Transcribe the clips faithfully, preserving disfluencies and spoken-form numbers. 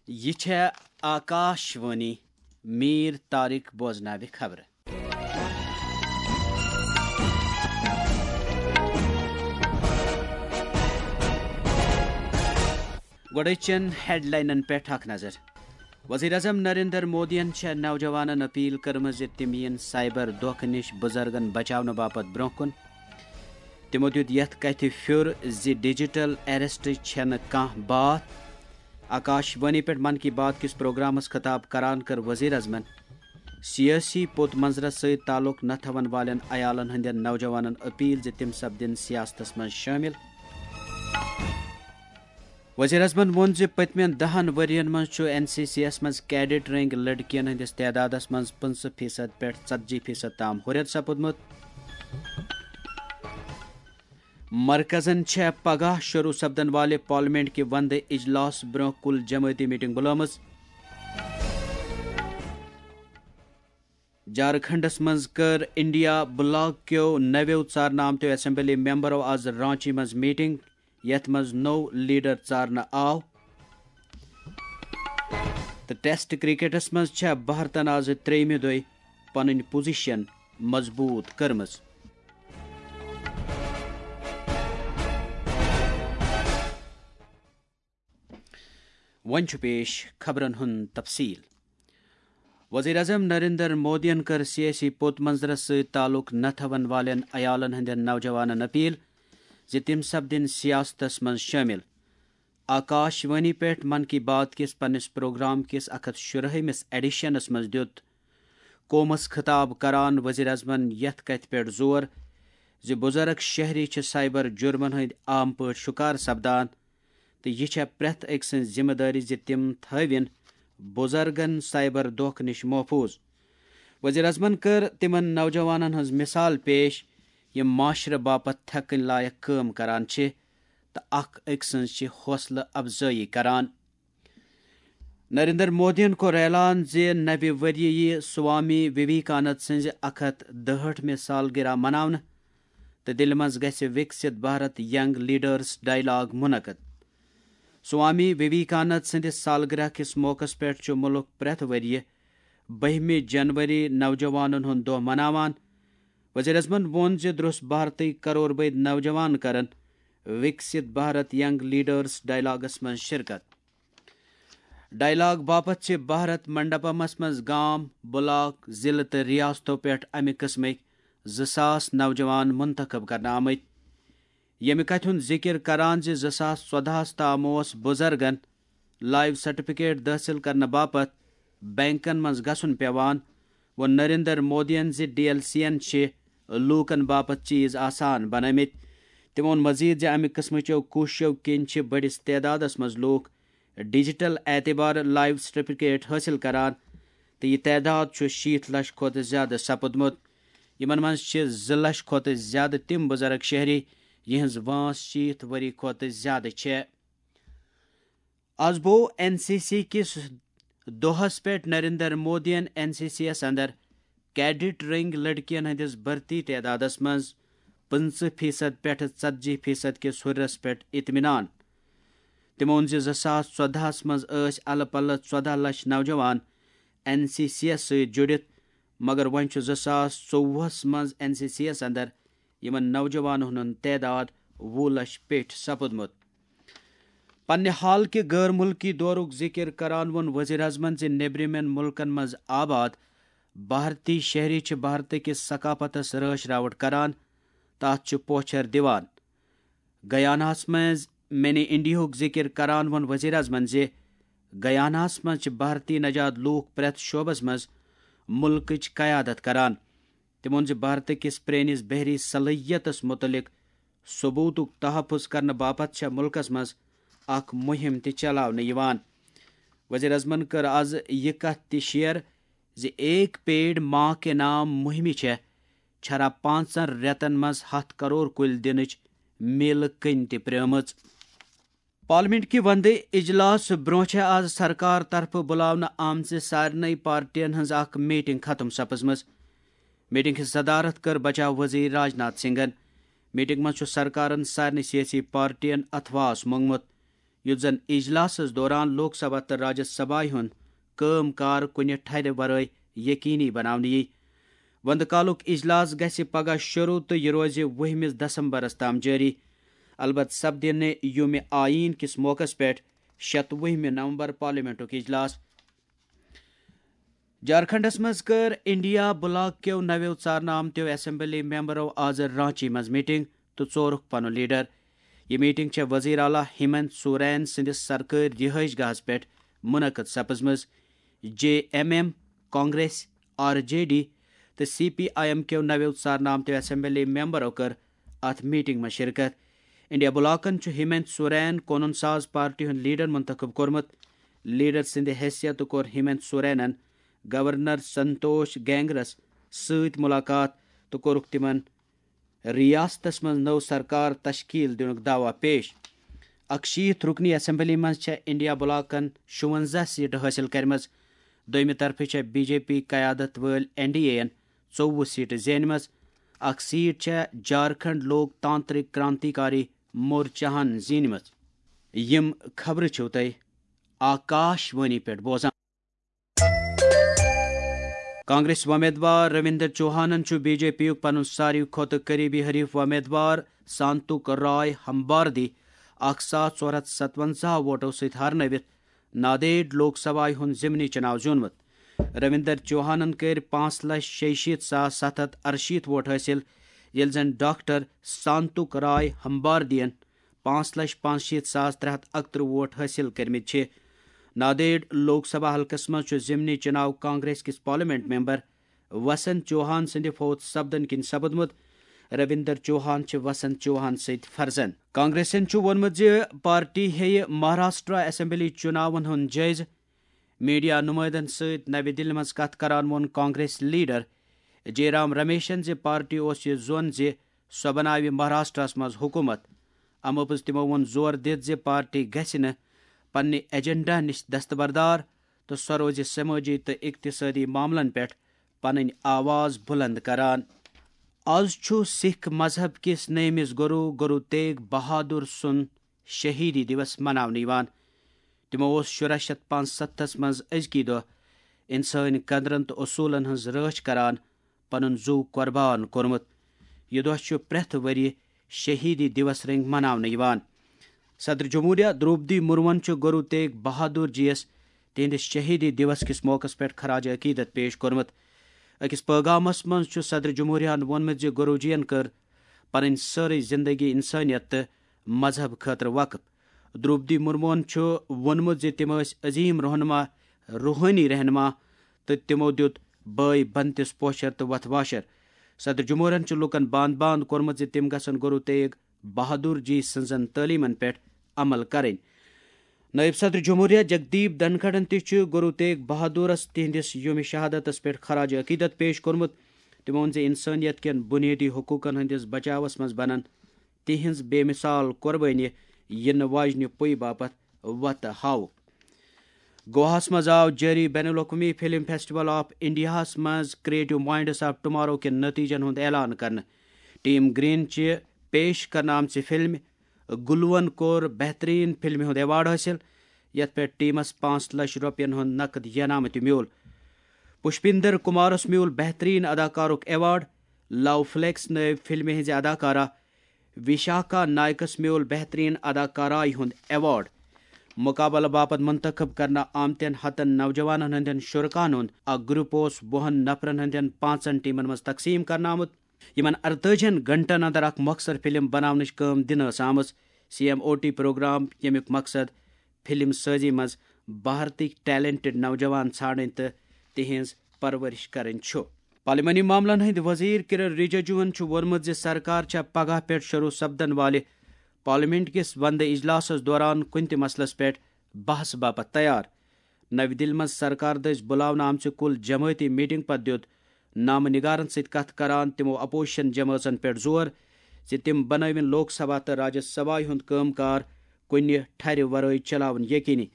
یہِ چھےٚ آکاش وانی۔ میٖر طارق بوزناوِ خبرٕ۔ گۄڈٕچن ہیڈلاینن پٮ۪ٹھ اکھ نظر۔ وزیر اعظم نریندر مودیَن چھےٚ نوجوانن اپیل کٔرمٕژ زِ تِم یِن سائبر دھوکہٕ نِش بُزرگن بچاونہٕ باپتھ برونٛہہ کُن۔ تِمو دیُت یَتھ کَتھِ پھیُر زِ ڈیجیٹل اریسٹ چھَنہٕ کانٛہہ باتھ۔ آکاش وانی پٮ۪ٹھ من کی بات کِس پروگرامَس خطاب کران کٔر وزیر اعظمَن سیٲسی پوٚت منظرَس سۭتۍ تعلق نہ تھاون والٮ۪ن عیالَن ہٕنٛدٮ۪ن نوجوانَن اپیل زِ تِم سپدن سیاستَس منٛز شٲمِل۔ وزیر اعظمَن ووٚن زِ پٔتمٮ۪ن دَہَن ؤرۍ یَن منٛز چھُ این سی سی یَس منٛز کیڈٹ رینک لڑکِیَن ہٕنٛدِس تعدادَس منٛز پٕنٛژٕہ فیصد پٮ۪ٹھ ژتجی فیصد تام ہُرٮ۪ر سپُدمُت۔ مرکزَن چھےٚ پگاہ شروع سپدن والہِ پارلیمنٹ کہِ وندٕ اجلاس برونٛہہ کُل جمٲعتی میٹنگ بُلٲومٕژ۔ جھارکھنڈَس منٛز کٔر انڈیا بلاک کیو نویو ژارنہٕ آمتیو اسمبلی ممبرو آز رانچی منٛز میٹنگ، یَتھ منٛز نوٚو لیڈر ژارنہٕ آو۔ تہٕ ٹیسٹ کرکٹَس منٛز چھےٚ بھارتَن آز ترٛیٚیِمہِ دۄہہِ پنٕنۍ پوزیشن مضبوٗط کٔرمٕژ۔ وۄنۍ چھُ پیش خبرن ہُنٛد تفصیل۔ وزیر اعظم نریندر مودیَن کٔر سیٲسی پوٚت منظرس سۭتۍ تعلق نہ تھاون والٮ۪ن عیالن ہٕنٛدٮ۪ن نوجوانن اپیل زِ تِم سپدن سیاستس منٛز شٲمِل۔ آکاش وانی پٮ۪ٹھ من کی بات کِس پننِس پروگرام کِس اکھ ہتھ شُراہمِس ایڈیشنس منٛز دیُت قومس خطاب کران وزیر اعظمن یتھ کتھِ پٮ۪ٹھ زور زِ بُزرگ شہری چھِ سائبر جُرمن ہٕنٛدۍ عام پٲٹھۍ شکار سپدان تہٕ یہِ چھےٚ پرٛٮ۪تھ أکۍ سٕنٛز ذمہٕ دٲری زِ تِم تھٲوِن بُزرگن سائبر دھوکہٕ نِش محفوٗظ۔ وزیر اعظمن کٔر تِمن نوجوانن ہٕنٛز مثال پیش، یِم معاشرٕ باپتھ تھٮ۪کٕنۍ لایق کٲم کران چھِ تہٕ اکھ أکۍ سٕنٛز چھِ حوصلہٕ افزٲیی کران۔ نریندر مودیَن کوٚر اعلان زِ نوِ ؤریہِ یِیہِ سوامی وویکانند سٕنٛزِ اکھ ہتھ دُہٲٹھمہِ سالگرہ مناونہٕ تہٕ دِلہِ منٛز گژھِ وِکسِت بھارت ینگ لیڈرز ڈائیلاگ منعقد۔ سوامی وویکانند سٕنٛدِ سالگرہ کِس موقعس پٮ۪ٹھ چھُ مُلک پرٛٮ۪تھ ؤریہِ بٔہمہِ جنوری نوجوانن ہُنٛد دۄہ مناوان۔ وزیر اعظمن ووٚن زِ درٛس بھارتٕکۍ کرور بٔدۍ نوجوان کرن وِکسِت بھارت ینگ لیڈرز ڈائیلاگس منٛز شرکت۔ ڈائیلاگ باپتھ چھِ بھارت منڈپمس منٛز گام، بلاک، ضلعہٕ تہٕ ریاستو پٮ۪ٹھ امہِ قٕسمٕکۍ زٕ ساس نوجوان منتخب کرنہٕ آمٕتۍ۔ ییٚمہِ کتھِ ہُنٛد ذِکِر کران زِ زٕ ساس ژۄدہَس تام اوس بُزرگن لائیو سرٹیفکیٹ دٲخل کرنہٕ باپتھ بینکن منٛز گژھُن پیوان، ووٚن نریندر مودیَن زِ ڈی ایل سی یَن چھِ لوٗکَن باپتھ چیز آسان بنٲومٕتۍ۔ تٔمۍ ووٚن مزید زِ امہِ قٕسمٕچو کوٗششو کِنۍ چھِ بٔڑِس تعدادَس منٛز لوٗکھ ڈیجیٹل اعتبار لائیو سرٹیفکیٹ حٲصِل کران تہٕ یہِ تعداد چھُ شیٖتھ لچھ کھۄتہٕ زیادٕ سپُدمُت۔ یِمَن منٛز چھِ زٕ لچھ کھۄتہٕ زیادٕ تِم بُزرگ شہری، یِہٕنٛز وٲنٛس شیٖتھ ؤری کھۄتہٕ زیادٕ چھےٚ۔ آز بوو این سی سی کِس دۄہس پٮ۪ٹھ نریندر مودیَن این سی سی یَس اندر کیڈٹ رینک لڑکِیَن ہٕنٛدِس بھرتی تعدادس منٛز پٕنٛژٕہ فیصد پٮ۪ٹھٕ ژتجی فیصد کِس ہُرِرس پٮ۪ٹھ اطمینان۔ تٔمۍ ووٚن زِ زٕ ساس ژۄدہَس منٛز ٲسۍ الہٕ پلہٕ ژۄداہ لچھ نوجوان این سی سی یَس سۭتۍ جُڑِتھ، مگر وۄنۍ چھُ زٕ ساس ژوٚوُہَس منٛز این سی سی یَس اندر یِمن نوجوانن ہُنٛد تعداد وُہ لچھ پیٚٹھۍ سپُدمُت۔ پننہِ حال کہِ غٲر مُلکی دورُک ذِکِر کران ووٚن وزیر اعظمن زِ نیٚبرِمٮ۪ن مُلکن منٛز آباد بھارتی شہری چھِ بھارتہٕ کِس ثقافتس رٲچھ راوٹھ کران تہٕ اتھ چھِ پوچھر دِوان۔ گیاناہس منٛز منی انڈیاہُک ذِکِر کران ووٚن وزیر اعظمن زِ گیاناہس منٛز چھِ بھارتی نژاد لوٗکھ پرٛٮ۪تھ شعبس منٛز مُلکٕچ قیادت کران۔ تٔمۍ ووٚن زِ بھارتہٕ کِس پرٛٲنِس بحری صلٲحیتس مُتعلق ثبوٗتُک تحفظ کرنہٕ باپتھ چھےٚ مُلکَس منٛز اکھ مُہِم تہِ چلاونہٕ یِوان۔ وزیر اعظمن کٔر آز یہِ کتھ تہِ شیئر زِ ایک پیڑ ماں کے نام مُہِمہِ چھےٚ چھرا پانٛژن رٮ۪تن منٛز ہَتھ کرور کُلۍ دِنٕچ میلہٕ کٔنۍ تہِ پرٛٲومٕژ۔ پارلیمنٹ کہِ وندٕ اجلاس برونٛہہ چھےٚ آز سرکار طرفہٕ بُلاونہٕ آمژِ سارنٕے پارٹین ہٕنٛز اکھ میٹنگ ختم سپٕزمٕژ۔ میٹنگ ہٕنٛز صدارت کٔر بچاو وزیر راج ناتھ سنگھن۔ میٹنگ منٛز چھُ سرکارن سارنٕے سیٲسی پارٹین اتھواس مونگمُت۔ یُتھ زن اجلاسس دوران لوک سبھا تہٕ راجیہ سبھایہ ہُنٛد کٲم کار کُنہِ ٹھرِ ورٲے یقینی بناونہٕ یِیہِ۔ وندٕ کالُک اجلاس گژھِ پگاہ شروع تہٕ یہِ روزِ وُہمِس دسمبرس تام جٲری۔ البتہ سپدِ نہٕ یومِ آئین کِس موقعس پٮ۪ٹھ شتوُہمہِ نومبر پارلیمنٹُک اجلاس۔ جھارکھنڈس منٛز کٔر انڈیا بلاک کیو نویو ژارنہٕ آمتیو اسمبلی ممبرو آز رانچی منٛز میٹنگ تہٕ ژورُکھ پنُن لیڈر۔ یہِ میٹنگ چھےٚ وزیر اعلیٰ ہیمنت سورین سٕنٛدِس سرکٲرۍ رہٲیش گاہس پٮ۪ٹھ منعقد سپٕزمٕژ۔ J M M, Congress, R J D تہٕ سی پی آئی ایم کیو نویو ژارنہٕ آمتیو اسمبلی ممبرو کٔر اتھ میٹنگ منٛز شرکت۔ انڈیا بلاکن چھُ ہیمنت سورین قونوٗن ساز پارٹی ہُنٛد لیڈر منتخب کوٚرمُت۔ لیڈر سٕنٛدِ حیثیتہٕ کوٚر ہیمنت سورینن گورنر سنتوش گینگرس سۭتۍ ملاقات تہٕ کوٚرُکھ تِمن ریاستس منٛز نٔو سرکار تشکیل دِنُک دعویٰ پیش۔ اکشیٖتھ رُکنی اسمبلی منٛز چھےٚ انڈیا بلاکن شُونٛزاہ سیٹہٕ حٲصِل کٔرمٕژ۔ دوٚیمہِ طرفہٕ چھےٚ بی جے پی قیادت وٲلۍ این ڈی اے یَن ژوٚوُہ سیٹہٕ زینِمَژٕ۔ اکھ سیٹ چھےٚ جھارکھنڈ لوک تانترک کرانتیکاری مورچاہن زینِمٕژ۔ یِم خبرٕ چھِو تۄہہِ آکاش وانی پٮ۪ٹھ بوزان۔ کانگریس وۄمیدوار رویندر چوہانن چھُ بی جے پی یُک پنُن ساروی کھۄتہٕ قریبی حریف وۄمیدوار سانتوک رائے ہمباردی اکھ ساس ژور ہتھ ستونزہ ووٹو سۭتۍ ہارنٲوِتھ نادیڑ لوک سبھایہ ہُنٛد ضمنی چناو زیوٗنمُت۔ رویندر چوہانن کٔرۍ پانٛژھ لچھ شیٚیہِ شیٖتھ ساس ستھ ہتھ ارشیٖتھ ووٹ حٲصِل، ییٚلہِ زن ڈاکٹر سانتوک رائے ہمباردین پانٛژھ لچھ پانٛژھ شیٖتھ ساس ترٛےٚ ہتھ اکترٕہ ووٹ حٲصِل کٔرمٕتۍ چھِ۔ نادیڑ لوک سبھا حلقس منٛز چھُ ضمنی چناو کانگریس کِس پارلیمنٹ ممبر وسنت چوہان سٕنٛدِ فوت سپدن کِنۍ سپُدمُت۔ رویندر چوہان چھِ وسنت چوہان سۭتۍ فرزند۔ کانگریسن چھُ ووٚنمُت زِ پارٹی ہیٚیہِ مہاراشٹرا اسمبلی چُناون ہُنٛد جٲیزٕ۔ میڈیا نمائندن سۭتۍ نوِ دِلہِ منٛز کتھ کران ووٚن کانگریس لیڈر جے رام رمیشن زِ پارٹی اوس یہِ زون زِ سۄ بناوِ مہاراشٹرس منٛز حکومت۔ امہِ باپتھ تِمو ووٚن زور دِتھ زِ پارٹی گژھِ نہٕ پننہِ ایجنڈا نِش دستبردار تہٕ سۄ روزِ سمٲجی تہٕ اقتصٲدی معاملن پٮ۪ٹھ پنٕنۍ آواز بُلند کران۔ آز چھُ سکھ مذہب کِس نٔیمِس گرو، گرو تیگ بہادر سُنٛد شہیدی دیوس مناونہٕ یِوان۔ تِمو اوس شُراہ شیٚتھ پانٛژستھس منٛز أزکی دۄہ انسٲنی قدرن تہٕ اصوٗلن ہٕنٛز رٲچھ کران پنُن زُو قۄربان کوٚرمُت۔ یہِ دۄہ چھُ پرٛٮ۪تھ ؤرۍ یہِ شہیدی دیوس رٔنٛگۍ مناونہٕ یِوان۔ صدر جمہوریہ درٛوپدی مرموہن چھُ گرو تیگ بہادر جی یَس تِہنٛدِس شہیدی دیوس کِس موقعس پٮ۪ٹھ خراج عقیدت پیش کوٚرمُت۔ أکِس پٲغامس منٛز چھُ صدر جمہوریہن ووٚنمُت زِ گرو جی ین کٔر پنٕنۍ سٲرٕے زندگی انسٲنیت تہٕ مذہب خٲطرٕ وقف۔ درٛوپدی مرموہن چھُ ووٚنمُت زِ تِم ٲسۍ عظیٖم رہنما، روحٲنی رہنما، تہٕ تِمو دیُت بٲے بنتِس پوچھر تہٕ وتھ واشر۔ صدر جمہوریہن چھُ لوٗکن باند باند کوٚرمُت زِ تِم گژھن گرو تیگ بہادر جی سٕنٛزن تعلیمن پٮ۪ٹھ عمل کرٕنۍ۔ نائب صدر جمہوریہ جگدیپ دھنکھڑن تہِ چھُ گرو تیگ بہادرس تِہنٛدِس یوم شہادتس پٮ۪ٹھ خراج عقیدت پیش کوٚرمُت۔ تِمو ووٚن زِ انسٲنیت کٮ۪ن بنیٲدی حقوقن ہٕنٛدِس بچاوس منٛز بنن تِہنٛز بے مثال قۄربٲنی یِنہٕ واجنہِ پُیہِ باپتھ وتہٕ ہاوُک۔ گواہس منٛز آو جٲری بین الاقوٲمی فلم فیسٹیول آف انڈیاہس منٛز کریٹو مائنڈس آف ٹمارو کٮ۪ن نتیجن ہُنٛد اعلان کرنہٕ۔ ٹیم گرین چہِ پیش کرنہٕ آمژِ فلمہِ گلوون کوٚر بہترین فلمہِ ہُنٛد ایوارڈ حٲصِل، یتھ پٮ۪ٹھ ٹیمس پانٛژھ لچھ رۄپین ہُنٛد نقد ینامہٕ تہِ میوٗل۔ پُشپیندر کمارس میوٗل بہترین اداکارُک ایوارڈ۔ لو فلیکس نٲوۍ فلمہِ ہٕنٛزِ اداکارہ وشاکھا نائکس میوٗل بہترین اداکارایہِ ہُنٛد ایوارڈ۔ مقابلہٕ باپتھ منتخب کرنہٕ آمتٮ۪ن ہتن نوجوانن ہٕنٛدٮ۪ن شرکاہن ہُنٛد اکھ گروپ اوس وُہن نفرن ہٕنٛدٮ۪ن پانٛژن ٹیمن منٛز تقسیٖم کرنہٕ آمُت۔ یِمن ارتٲجِہن گھنٹن اندر اکھ مۄخصر فلم بناونٕچ کٲم دِنہٕ ٲس آمٕژ۔ C M O T programme, ییٚمیُک مقصد فلم سٲزی منٛز بھارتٕکۍ ٹیلنٹڈ نوجوان ژھانڈٕنۍ تہٕ تِہنٛز پرورش کرٕنۍ چھُ۔ پارلیمانی معاملن ہٕنٛدۍ وزیر کرن رجیجوَن چھُ ووٚنمُت زِ سرکار چھےٚ پگاہ پٮ۪ٹھ شروع سپدن والہِ پارلیمنٹ کِس وندٕ اجلاسَس دوران کُنہِ تہِ مسلس پٮ۪ٹھ بحث باپتھ تیار۔ نَوِ دِلہِ منٛز سرکار دٔسۍ بُلاونہٕ آمژِ کُل جمٲعتی میٹنگ پتہٕ دِیُت نامہٕ نگارن سۭتۍ کتھ کران تِمو اپوزیشن جمٲژن پٮ۪ٹھ زور زِ تِم بنٲوِن لوک سبھا تہٕ راجیہ سبھایہِ ہُنٛد کٲم کار کُنہِ ٹھرِ ورٲے چلاوُن یقینی۔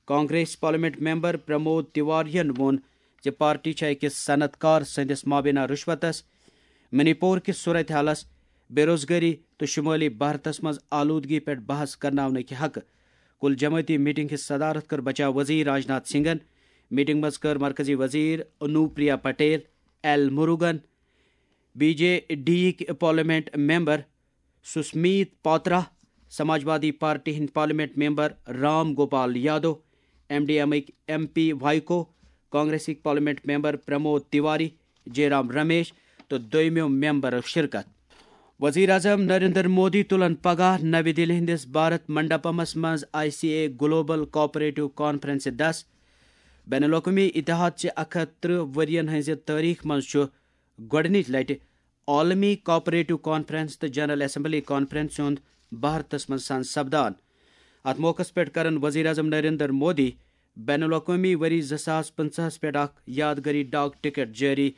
کانگریس پارلیمنٹ ممبر پرمود تیواریَن ووٚن زِ پارٹی چھےٚ أکِس صنعت کار سٕنٛدِس مابینہ رُشوتس، منی پور کِس صورتحالس، بے روزگٲری تہٕ شمٲلی بھارتس منٛز آلودگی پٮ۪ٹھ بحث کرناونٕکہِ حقہٕ۔ کل جماعتی میٹنگ ہٕنٛز صدارت کٔر بچاو وزیر راجناتھ سنگھن۔ میٹنگ منٛز کٔر مرکزی وزیر Anupriya Patel, L Murugan, B J D یِکۍ parliament member Sasmit Patra, Samajwadi party ہٕنٛدۍ parliament member Ram Gopal Yadav, M D M ٕکۍ ایم پی وائیکو، کانگریسٕکۍ parliament member Pramod Tiwari, Jairam Ramesh تہٕ دویمو ممبرو شرکت۔ وزیر اعظم نریندر مودی تُلن پگاہ نوِ دِلہِ ہٕنٛدِس بھارت منڈپمس منٛز I C A global cooperative کانفرنسہِ دس۔ بین الاقوٲمی اتحاد چہِ اکھ ہتھ ترٕہ ؤرین ہٕنٛزِ تٲریخ منٛز چھُ گۄڈٕنِچ لٹہِ عالمی کوآپریٹو کانفرنس تہٕ جنرل اسمبلی کانفرنس ہُنٛد بھارتس منٛز سان سپدان۔ اتھ موقعس پٮ۪ٹھ کرن وزیر اعظم نریندر مودی بین الاقوٲمی ؤری زٕ ساس پنٛژاہس پٮ۪ٹھ اکھ یادگٲری ڈاک ٹکٹ جٲری۔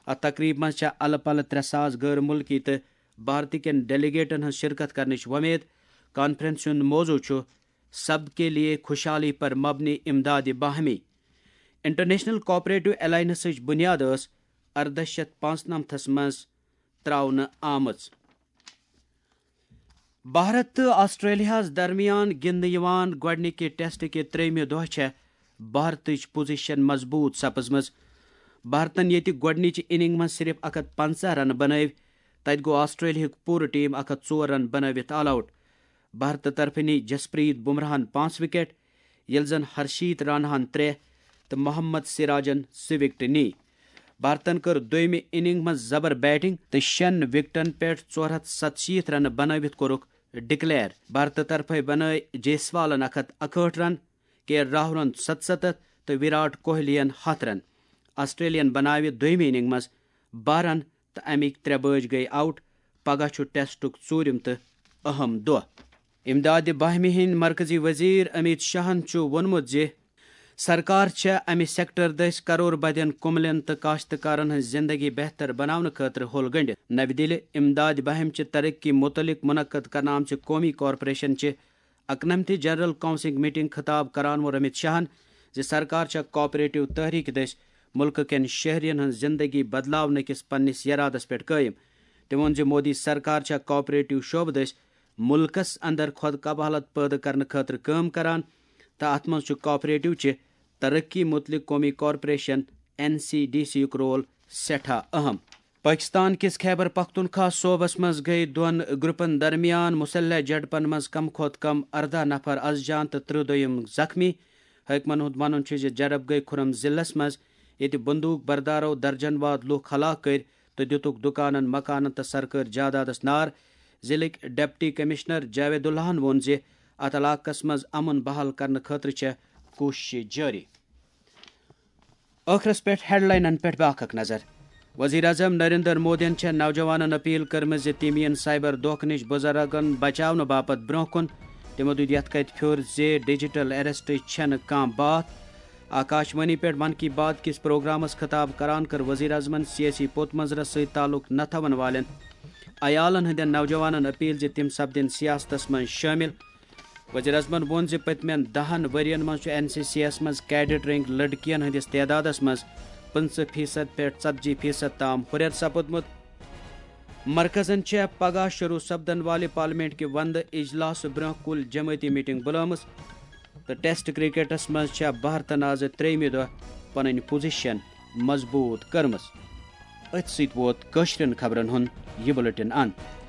اتھ تقریبہِ منٛز چھےٚ الہٕ پلہٕ ترٛےٚ ساس غٲر مُلکی تہٕ بھارتہٕ کٮ۪ن ڈیلیگیٹن ہٕنٛز شرکت کرنٕچ وۄمید۔ کانفرنس ہُنٛد موضوع چھُ سب کے لیے خوشحالی پر مبنی امداد باہمی۔ انٹرنیشنل کوآپریٹو الائنسٕچ بنیاد ٲس ارداہ شیتھ پانٛژنمتھس منٛز ترٛاونہٕ آمٕژ۔ بھارت تہٕ آسٹریلیاہس درمیان گِنٛدنہٕ یِوان گۄڈٕنِکہِ ٹیسٹ کہِ ترٛیٚیمہِ دۄہ چھےٚ بھارتٕچ پوزیشن مضبوٗط سپٕزمٕژ۔ بھارتن ییٚتہِ گۄڈٕنِچہِ اننگ منٛز صرف اکھ ہتھ پنٛژاہ رنہٕ بنٲوۍ، تتہِ گوٚو آسٹریلیاہُک پوٗرٕ ٹیم اکھ ہتھ ژور رن بنٲوِتھ آل آوٹ۔ بھارتہٕ طرفہٕ نی جسپریت بمراہن پانٛژھ وکٹ، ییٚلہِ زن ہرشیت راناہن ترٛےٚ تہٕ محمد سراجن زٕ وکٹہٕ نی۔ بھارتن کٔر دویمہِ اننگ منٛز زبر بیٹنگ تہٕ شٮ۪ن وکٹن پٮ۪ٹھ ژور ہتھ ستشیٖتھ رنہٕ بنٲوِتھ کوٚرُکھ ڈکلیئر۔ بھارتہٕ طرفہٕ بنٲوۍ جیسوالن اکھ ہتھ اکہٲٹھ رن، کے راہلن ستستتھ تہٕ وراٹ کوہلیَن ہتھ رن۔ آسٹریلیاہن بناوِ دویمہِ اننگ منٛز باہ رن تہٕ امِکۍ ترٛےٚ بٲج گٔیہِ آوٹ۔ پگاہ چھُ ٹیسٹُک ژوٗرِم تہٕ اہم دۄہ۔ امداد باہمی ہٕنٛدۍ مرکزی وزیر امیت شاہن چھُ ووٚنمُت زِ سرکار چھےٚ امہِ سیکٹر دٔسۍ کرور بدین کُملین تہٕ کاشتکارن ہٕنٛز زندگی بہتر بناونہٕ خٲطرٕ ہوٚل گنڈِتھ۔ نوِ دِلہِ، امداد باہم چہِ ترقی متعلق منعقد کرنہٕ آمژِ قومی کارپوریشن چہِ اکنمتھ جنرل کونسلنگ میٹنگ خطاب کران ووٚن امیت شاہن زِ سرکار چھےٚ کوآپریٹو تحریک دٔسۍ ملکہٕ کٮ۪ن شہرین ہٕنٛز زندگی بدلاونہٕ کِس پننِس ارادس پٮ۪ٹھ قٲیم۔ تٔمۍ ووٚن زِ مودی سرکار چھےٚ کوآپریٹو شعبہٕ دٔسۍ ملکس اندر خود کفالت پٲدٕ کرنہٕ خٲطرٕ کٲم کران تہٕ اتھ منٛز چھُ کوآپریٹو چہِ ترقی متعلق قومی corporation, N C D C, یُک رول سٮ۪ٹھاہ اہم۔ پٲکِستان کِس خیبر پختونخوا صوبس منٛز گٔیہِ دۄن گروپن درمیان مسلح جھڑپن منٛز کم کھۄتہٕ کم ارداہ نفر از جان تہٕ ترٕہ دوٚیِم زخمی۔ حٲکمن ہُنٛد وَنُن چھُ زِ جھڑپ گٔیہِ خُرم ضلعس منٛز، ییٚتہِ بندوق بردارو درجن واد لوٗکھ ہلاک کٔرۍ تہٕ دِتُکھ دُکانن، مکانن تہٕ سرکٲرۍ جادادس نار۔ ضلعٕکۍ ڈپٹی کمشنر جاوید اللہن ووٚن زِ اتھ علاقس منٛز امن بحال کرنہٕ خٲطرٕ چھےٚ کوٗششہٕ جٲری۔ ٲخرس پٮ۪ٹھ ہیڈلاینن پٮ۪ٹھ بیٛاکھ اکھ نظر۔ وزیر اعظم نریندر مودیَن چھےٚ نوجوانن اپیل کٔرمٕژ زِ تِم یِن سائبر دھوکہٕ نِش بُزرگن بچاونہٕ باپتھ برٛونٛہہ کُن۔ تِمو دیُت یَتھ کَتھِ پھیُر زِ ڈیجیٹل ایریسٹٕچ چھَنہٕ کانٛہہ باتھ۔ آکاش وانی پٮ۪ٹھ من کی بات کِس پروگرامس خطاب کران کٔر وزیر اعظمن سیٲسی پوٚت منظرس سۭتۍ تعلق نہ تھاون والٮ۪ن عیالن ہٕنٛدٮ۪ن نوجوانن اپیل زِ تِم سپدن سیاستس منٛز شٲمِل۔ وزیر اعظمن ووٚن زِ پٔتمٮ۪ن دَہن ؤرین منٛز چھُ این سی سی یَس منٛز کیڈٹ رینک لڑکیَن ہٕنٛدِس تعدادَس منٛز پٕنٛژٕہ فیصد پٮ۪ٹھ ژتجی فیصد تام ہُرٮ۪ر سپُدمُت۔ مرکزَن چھےٚ پگاہ شروٗع سپدن والہِ پارلیمنٹ کہِ وندٕ اجلاسہٕ برٛونٛہہ کُل جمٲعتی میٹنگ بُلٲومٕژ تہٕ ٹیسٹ کرکٹس منٛز چھےٚ بھارتَن آز ترٛیٚیمہِ دۄہ پنٕنۍ پوزیشن مضبوٗط کٔرمٕژ۔ أتھۍ سۭتۍ ووت کٲشرٮ۪ن خبرن ہُنٛد یہِ بُلٹن اند۔